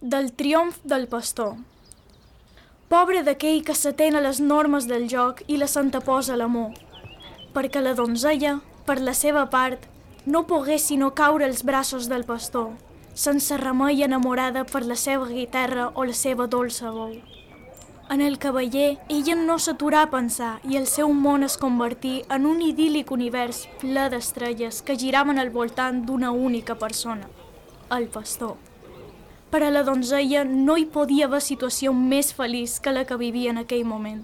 Del triomf del pastor. Pobre d'aquell que s'atén a les normes del joc i la s'anteposa a l'amor, perquè la donzella, per la seva part, no pogués sinó caure als braços del pastor, sense remei enamorada per la seva guitarra o la seva dolça veu. En el cavaller, ella no s'aturà a pensar i el seu món es convertí en un idíl·lic univers ple d'estrelles que giraven al voltant d'una única persona, el pastor. Per a la donzella no hi podia haver situació més feliç que la que vivia en aquell moment.